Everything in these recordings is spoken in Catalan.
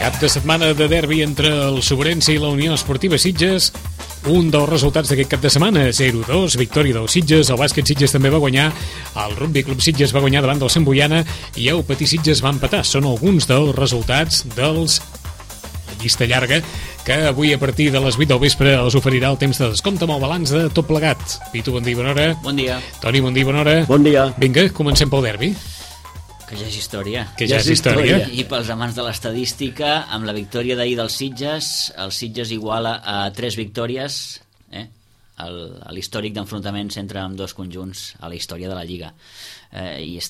Cap de setmana de derbi entre el Sobrense i la Unió Esportiva Sitges. Un dels resultats d'aquest cap de setmana, 0-2, victòria del Sitges. El bàsquet Sitges també va guanyar, el Rugby Club Sitges va guanyar davant del Sant Boiana i el Patí Sitges va empatar. Són alguns dels resultats dels llista llarga que avui a partir de les 8 del vespre els oferirà el temps de descompte amb el balanç de tot plegat. Pitu, bon dia, bona hora. Bon dia. Toni, bon dia, bona hora. Bon dia. Vinga, comencem pel derbi. Que ja és història. Que ja és història. I pels amants de l'estadística, amb la victòria d'ahir dels Sitges, el Sitges iguala a 3 victòries, l'històric d'enfrontaments entre ambdós conjunts a la història de la Lliga. I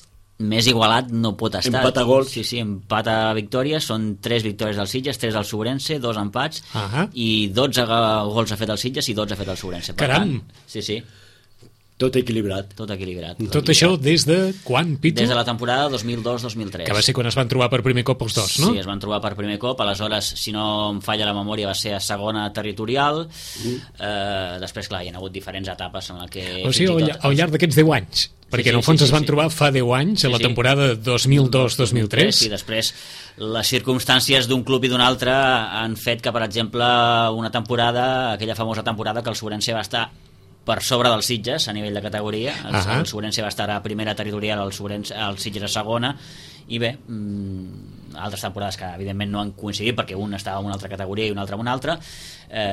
més igualat no pot estar. Empat a gols. Sí, empat a victòries, són 3 victòries del Sitges, 3 del Sobrense, 2 empats, i 12 gols ha fet el Sitges i 12 ha fet el Sobrense. Caram! Sí. Tot equilibrat. Tot equilibrat. Tot això des de quan, Pitu? Des de la temporada 2002-2003. Que va ser quan es van trobar per primer cop els dos, no? Sí, es van trobar per primer cop. Aleshores, si no em falla la memòria, va ser a segona territorial. Després, clar, hi ha hagut diferents etapes en la que... O sigui, al llarg d'aquests 10 anys. Perquè en el fons es van trobar fa 10 anys, a la temporada 2002-2003. Sí, després les circumstàncies d'un club i d'un altre han fet que, per exemple, una temporada, aquella famosa temporada que el Sobrense va estar per sobre dels Sitges a nivell de categoria. El Sobrense va estar a primera territorial, el Sitges a segona, i bé, altres temporades que evidentment no han coincidit perquè un estava en una altra categoria i un altre en una altra,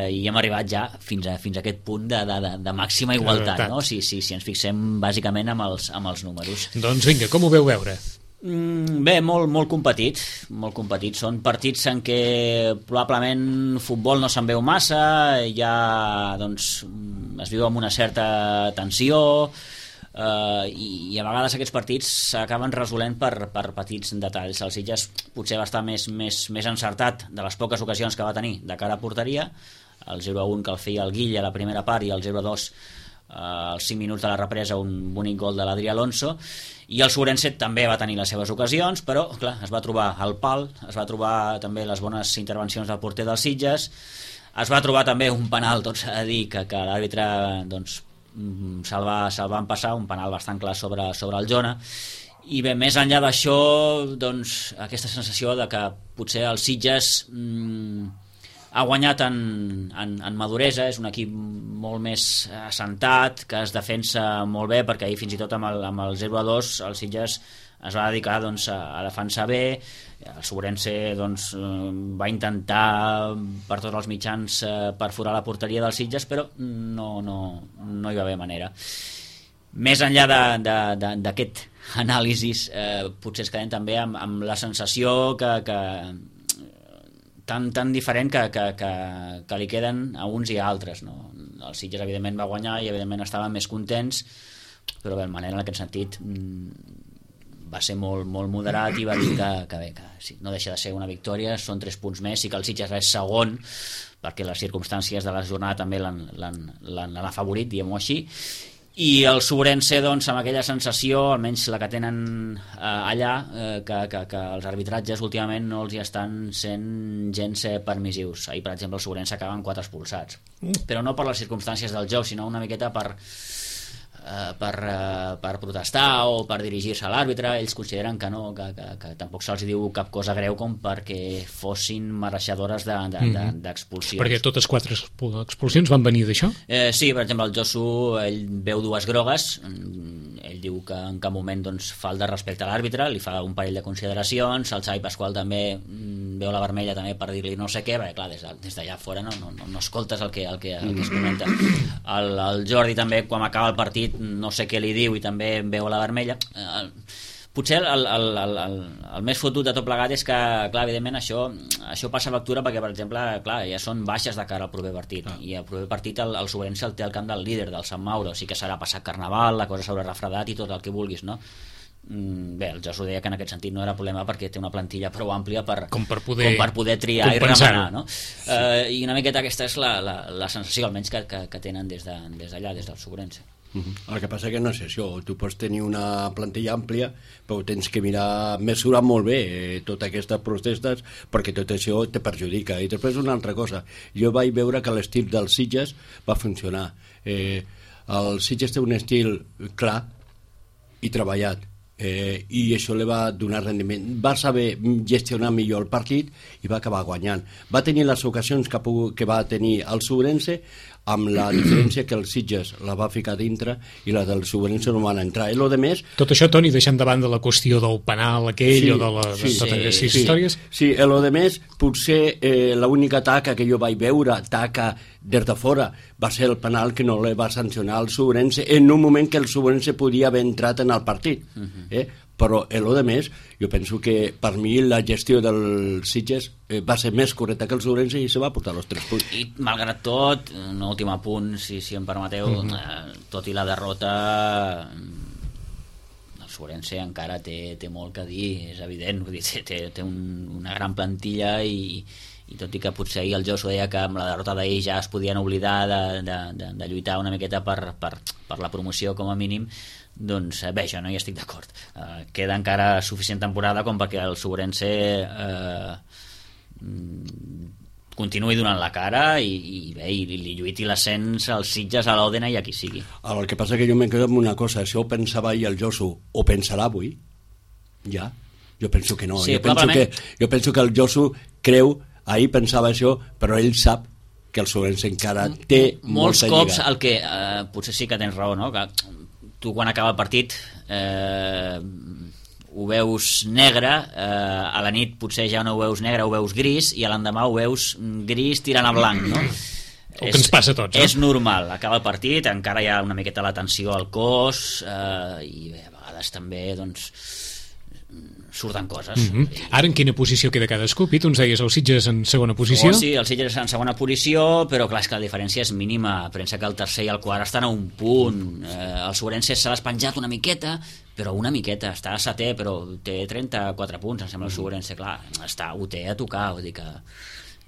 i hem arribat ja fins a aquest punt de màxima igualtat, no? Si ens fixem bàsicament amb els números. Doncs vinga, com ho veu veure? Bé, molt competit, són partits en què probablement futbol no se'n veu massa, ja doncs es viu amb una certa tensió, i a vegades aquests partits s'acaben resolent per petits detalls. El Sitges potser va estar més encertat de les poques ocasions que va tenir de cara a porteria, el 0-1 que el feia el Guilla a la primera part i el 0-2 als 5 minuts de la represa, un bonic gol de l'Adrià Alonso. I el Sobrense també va tenir les seves ocasions, però clar, es va trobar el pal, es va trobar també les bones intervencions del porter dels Sitges, es va trobar també un penal, tot s'ha de dir, que l'àrbitre doncs, se'l va empassar, un penal bastant clar sobre el Jona. I bé, més enllà d'això, doncs, aquesta sensació de que potser el Sitges ha guanyat en maduresa, és un equip molt més assentat, que es defensa molt bé, perquè ahir fins i tot amb el 0-2 el Sitges es va dedicar doncs, a defensar bé. El Sobrense doncs, va intentar per tots els mitjans perforar la porteria dels Sitges, però no hi va haver manera. Més enllà d'aquest anàlisis, potser es quedem també amb la sensació que tan diferent que li queden a uns i a altres, no? El Sitges evidentment va guanyar i evidentment estaven més contents, però bé, el Manel en aquest sentit va ser molt moderat i va dir que bé, que sí, no deixa de ser una victòria, són 3 punts més, i que el Sitges és segon perquè les circumstàncies de la jornada també l'han afavorit, diguem-ho així. I el Sobrense, doncs, amb aquella sensació, almenys la que tenen allà, que els arbitratges últimament no els hi estan sent gens permissius. Ahir, per exemple, el Sobrense acaba amb 4 expulsats, però no per les circumstàncies del joc, sinó una miqueta per protestar o per dirigir-se a l'àrbitre. Ells consideren que no, que tampoc se'ls diu cap cosa greu com perquè fossin mereixedores d'expulsions. Perquè totes 4 expulsions van venir d'això? Sí, per exemple, el Josu, ell veu 2 grogues, ell diu que en cap moment doncs, falta respecte a l'àrbitre, li fa un parell de consideracions, el Xavi Pasqual també veu la vermella també per dir-li no sé què, perquè clar, des d'allà fora no escoltes el que es comenta. El Jordi també, quan acaba el partit, no sé què li diu i també veu la vermella. Potser el més fotut de tot plegat és que, clar, evidentment això passa factura perquè, per exemple, clar, ja són baixes de cara al proper partit, i el proper partit el Sobrense el té al camp del líder, del Sant Mauro, sí que serà passat Carnaval, la cosa s'haurà refredat i tot el que vulguis, no? Bé, el Josu deia que en aquest sentit no era problema perquè té una plantilla prou àmplia per poder triar i remenar, no? I una miqueta aquesta és la sensació, almenys, que tenen des d'allà, des del Sobrense. El que passa que no és això, tu pots tenir una plantilla àmplia, però tens que mesurar molt bé totes aquestes protestes, perquè tot això te perjudica. I després una altra cosa, jo vaig veure que l'estil dels Sitges va funcionar. El Sitges té un estil clar i treballat, i això li va donar rendiment. Va saber gestionar millor el partit i va acabar guanyant. Va tenir les ocasions que va tenir el Sobrense, amb la diferència que el Sitges la va ficar dintre i la del Sobrense no van entrar. I lo de més... Tot això, Toni, deixant de banda la qüestió del penal aquell o de totes aquestes històries... Sí, i lo de més, potser l'única taca que jo vaig veure, taca des de fora, va ser el penal que no li va sancionar el Sobrense en un moment que el Sobrense podia haver entrat en el partit. Però lo de més, jo penso que per mi la gestió del Sitges va ser més correcta que el Sobrense i se va portar els 3 punts. I malgrat tot, un últim apunt, si em permeteu, tot i la derrota, el Sobrense encara té molt que dir, és evident, vull dir, té una gran plantilla i tot i que potser ahir el Josu deia que amb la derrota d'ahir ja es podien oblidar de lluitar una miqueta per la promoció com a mínim, doncs bé, jo no hi estic d'acord. Queda encara suficient temporada com perquè el Sobrense continuï donant la cara i li lluiti l'ascens als Sitges, a l'Òdena i a qui sigui. El que passa que jo me quedo amb una cosa, això ho pensava ahir el Josu, o pensarà avui? Ja? Jo penso que no. Sí, jo penso que el Josu creu, ahir pensava això, però ell sap que el Sobrense encara té molts molta cops lliga. El que potser sí que tens raó, no? Que tu quan acaba el partit ho veus negre, a la nit potser ja no ho veus negre, ho veus gris, i a l'endemà ho veus gris tirant a blanc, no? El que ens passa a tots, no? És normal, acaba el partit, encara hi ha una miqueta la tensió al cos, i bé, a vegades també doncs surten coses. Ara en quina posició queda cadascú? Pitu, ens deies el Sitges en segona posició? Sí, el Sitges en segona posició, però clar, és que la diferència és mínima. Pensa que el tercer i el quart estan a un punt. El Sobrense se l'ha penjat una miqueta, però una miqueta, està a setè, però té 34 punts, em sembla el Sobrense, clar, ho té a tocar, vull dir que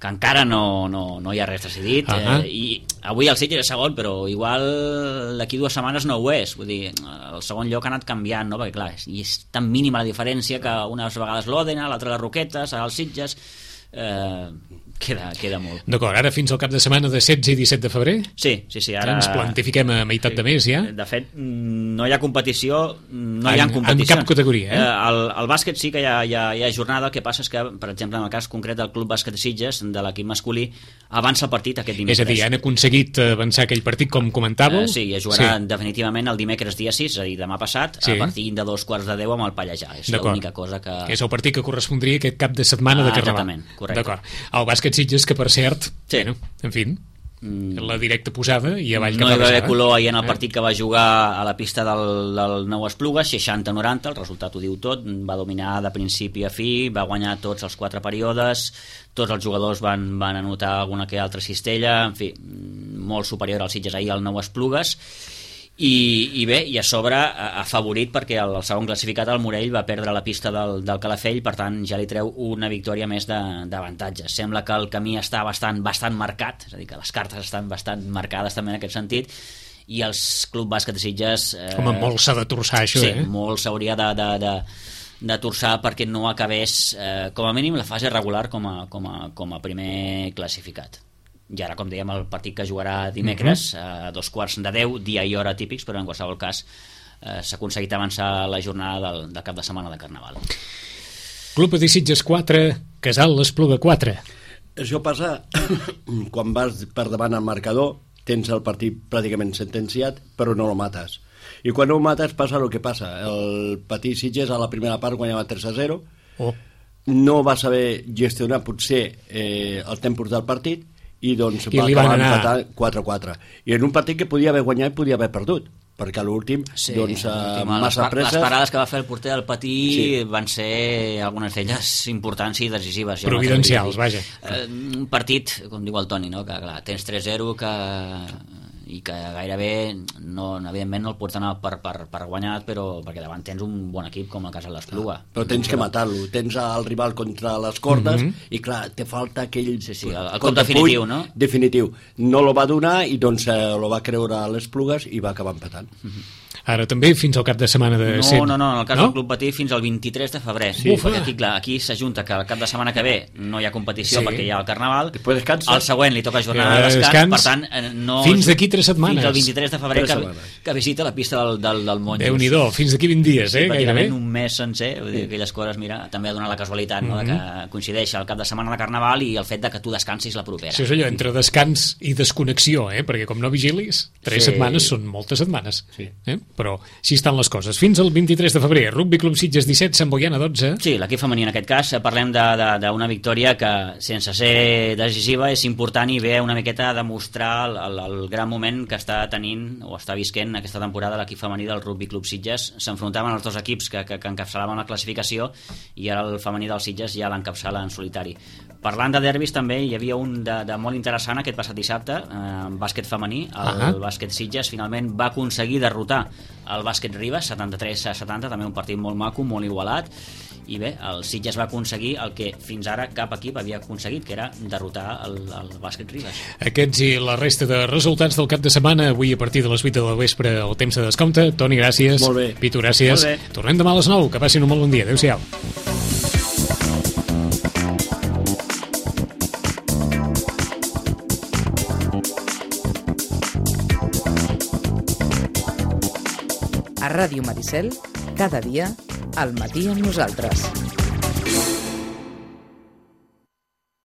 encara no hi ha res decidit, i avui el Sitges és segon, però igual d'aquí 2 setmanes no ho és, vull dir, el segon lloc ha anat canviant, no? Perquè clar, és tan mínima la diferència que unes vegades l'Òdena, l'altra les Roquetes, els Sitges, queda molt. D'acord, ara fins al cap de setmana de 16 i 17 de febrer? Sí, ara... Ens plantifiquem a meitat de mes, ja? De fet, no hi ha competició, hi ha competició. En cap categoria, el bàsquet sí que hi ha jornada, el que passa és que, per exemple, en el cas concret del Club Bàsquet Sitges, de l'equip masculí, avança el partit aquest dimecres. És a dir, han aconseguit avançar aquell partit, com comentàveu? Sí, es jugarà definitivament el dimecres dia 6, és a dir, demà passat, a partir de 2:15 amb el Pallejà. És l'única cosa que... Que és el partit que correspondria aquest cap de setmana de Carnaval. Exactament, correcte. D'acord. El bàsquet Sitges, que per cert, bueno, en fi, la directa posada i avall cap a no hi va haver color ahir en el partit que va jugar a la pista del Nou Esplugues, 60-90, el resultat ho diu tot, va dominar de principi a fi, va guanyar tots els 4 períodes, tots els jugadors van anotar alguna que altra cistella, en fi, molt superior al Sitges ahir al Nou Esplugues. I bé, i a sobre afavorit perquè el segon classificat, el Morell, va perdre la pista del Calafell, per tant ja li treu una victòria més d'avantatge. Sembla que el camí està bastant marcat, és a dir, que les cartes estan bastant marcades també en aquest sentit, i els Club Bàsquet de Sitges... Home, molt s'ha de torçar això, sí, molt s'hauria de torçar perquè no acabés com a mínim la fase regular com a primer classificat. I ara, com dèiem, el partit que jugarà dimecres a 2:15, dia i hora típics, però en qualsevol cas s'ha aconseguit avançar la jornada del cap de setmana de Carnaval. Club de Sitges 4, Casal l'Espluga 4. Això passa quan vas per davant al marcador, tens el partit pràcticament sentenciat, però no el mates. I quan no el mates passa el que passa. El petit Sitges a la primera part guanyava 3-0, no va saber gestionar potser el tempos del partit, i doncs va acabar empatant 4-4. I en un partit que podia haver guanyat i podia haver perdut, perquè a l'últim massa presses... Les parades que va fer el porter del Patí van ser algunes d'elles importants i decisives. Providencials, vaja. Un partit, com diu el Toni, no? Que clar, tens 3-0 i que gairebé evidentment no el pots anar per guanyat, però perquè davant tens un bon equip com el Casal l'Espluga. Però tens que matar-lo, tens el rival contra les cordes i clar, te falta aquell... Sí, el cop definitiu, no? Definitiu. No lo va donar i doncs lo va creure a les Plugues i va acabar empatant. Ara també fins al cap de setmana de... No, en el cas del Club Patí fins al 23 de febrer. Sí, perquè aquí s'ajunta que el cap de setmana que ve no hi ha competició perquè hi ha el Carnaval, el següent li toca jornada de descans, per tant no... Fins d'aquí 3 3 setmanes. Fins al 23 de febrer 3 setmanes. que visita la pista del Monjos. Déu-n'hi-do, fins d'aquí 20 dies, Sí, gairebé. un mes sencer, vull dir, aquelles coses, mira, també ha donat la casualitat, no?, de que coincideix el cap de setmana de Carnaval i el fet de que tu descansis la propera. Això és allò, entre descans i desconnexió, perquè com no vigilis, 3 setmanes són moltes setmanes. Sí. Però així estan les coses. Fins al 23 de febrer, Rugby Club Sitges 17, Sant Boiana 12. Sí, l'equip femení en aquest cas, parlem d'una victòria que, sense ser decisiva, és important i ve una miqueta a demostrar el gran moment que està tenint o està visquent aquesta temporada l'equip femení del Rugby Club Sitges. S'enfrontaven els dos equips que encapçalaven la classificació i ara el femení del Sitges ja l'encapçala en solitari. Parlant de derbis també hi havia un de molt interessant aquest passat dissabte, bàsquet femení. El bàsquet Sitges finalment va aconseguir derrotar el bàsquet Ribes 73-70, també un partit molt maco, molt igualat, i bé, el Sitges va aconseguir el que fins ara cap equip havia aconseguit, que era derrotar el bàsquet Ribes. Aquests i la resta de resultats del cap de setmana avui a partir de les 8 del vespre el temps de descompte. Toni, gràcies. Molt bé. Pitu, gràcies. Molt bé. Tornem demà a les 9, que passin un molt bon dia. Adéu-siau. A Ràdio Maricel, cada dia, al matí amb nosaltres.